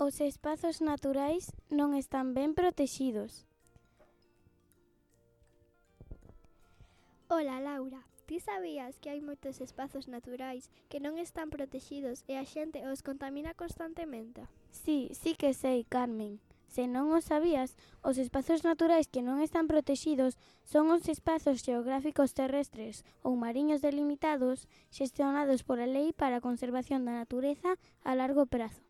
Os espazos naturais non están ben protexidos. Ola, Laura. Ti sabías que hai moitos espazos naturais que non están protexidos e a xente os contamina constantemente? Sí que sei, Carmen. Se non o sabías, os espazos naturais que non están protexidos son os espazos xeográficos terrestres ou mariños delimitados xestionados pola Lei para a Conservación da Natureza a largo prazo.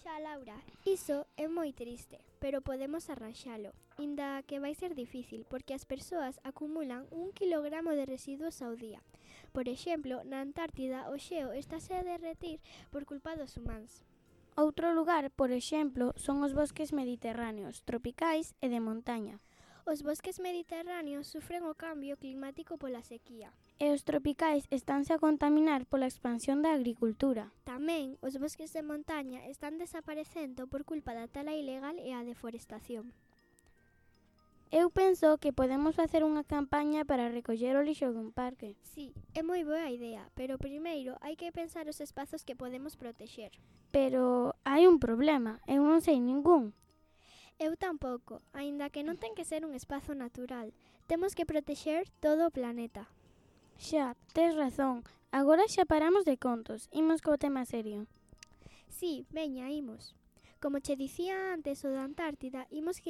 Xa, Laura, iso é moi triste, pero podemos arranxalo, inda que vai ser difícil porque as persoas acumulan 1 kilogramo de residuos ao día. Por exemplo, na Antártida o xeo estáse a derretir por culpa dos humanos. Outro lugar, por exemplo, son os bosques mediterráneos, tropicais e de montaña. Os bosques mediterráneos sufren o cambio climático pola sequía. E os tropicais estánse a contaminar pola expansión da agricultura. Tamén os bosques de montaña están desaparecendo por culpa da tala ilegal e a deforestación. Eu penso que podemos facer unha campaña para recoller o lixo dun parque. Sí, é moi boa idea, pero primeiro hai que pensar os espazos que podemos protexer. Pero hai un problema, eu non sei ningún. Eu tampouco, aínda que non ten que ser un espazo natural. Temos que protexer todo o planeta. Xa, tes razón. Agora xa paramos de contos, imos co tema serio. Sí, veña, imos. Como che dicía antes o da Antártida, imos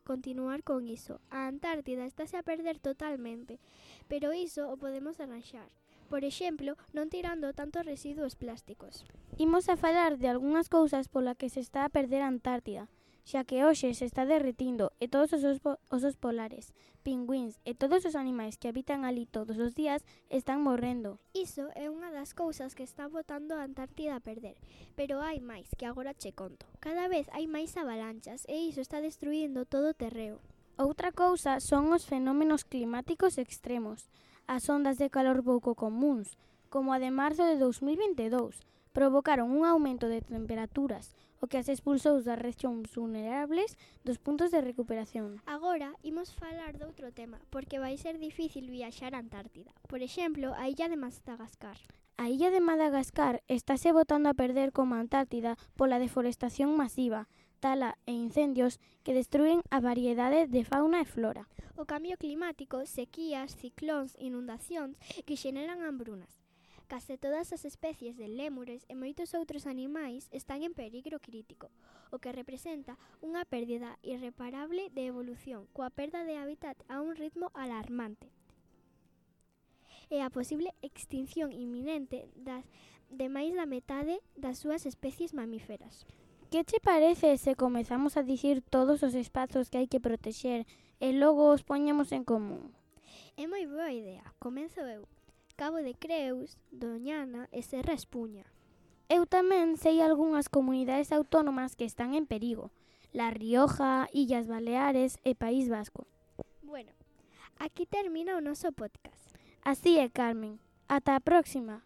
continuar con iso. A Antártida estáse a perder totalmente, pero iso o podemos arranxar. Por exemplo, non tirando tantos residuos plásticos. Imos a falar de algunhas cousas pola que se está a perder a Antártida, xa que hoxe se está derretindo e todos os osos polares, pingüíns e todos os animais que habitan ali todos os días están morrendo. Iso é unha das cousas que está botando a Antártida a perder, pero hai máis que agora che conto. Cada vez hai máis avalanchas e iso está destruindo todo o terreo. Outra cousa son os fenómenos climáticos extremos, as ondas de calor pouco comúns, como a de marzo de 2022, provocaron un aumento de temperaturas, o que as expulsou das rexións vulnerables dos puntos de recuperación. Agora imos falar doutro tema, porque vai ser difícil viaxar á Antártida. Por exemplo, a illa de Madagascar. A illa de Madagascar estáse botando a perder como a Antártida pola deforestación masiva, tala e incendios que destruen a variedade de fauna e flora. O cambio climático, sequías, ciclóns, inundacións que xeneran hambrunas. Case todas as especies de lémures e moitos outros animais están en peligro crítico, o que representa unha pérdida irreparable de evolución, coa perda de hábitat a un ritmo alarmante. E a posible extinción inminente de máis da metade das súas especies mamíferas. Que che parece se comezamos a dicir todos os espazos que hai que protexer e logo os poñemos en común? É moi boa idea. Comenzo eu. Cabo de Creus, Doñana e Serra Espuña. Eu tamén sei algunhas comunidades autónomas que están en perigo. La Rioja, Illas Baleares e País Vasco. Bueno, aquí termina o noso podcast. Así é, Carmen. Ata a próxima.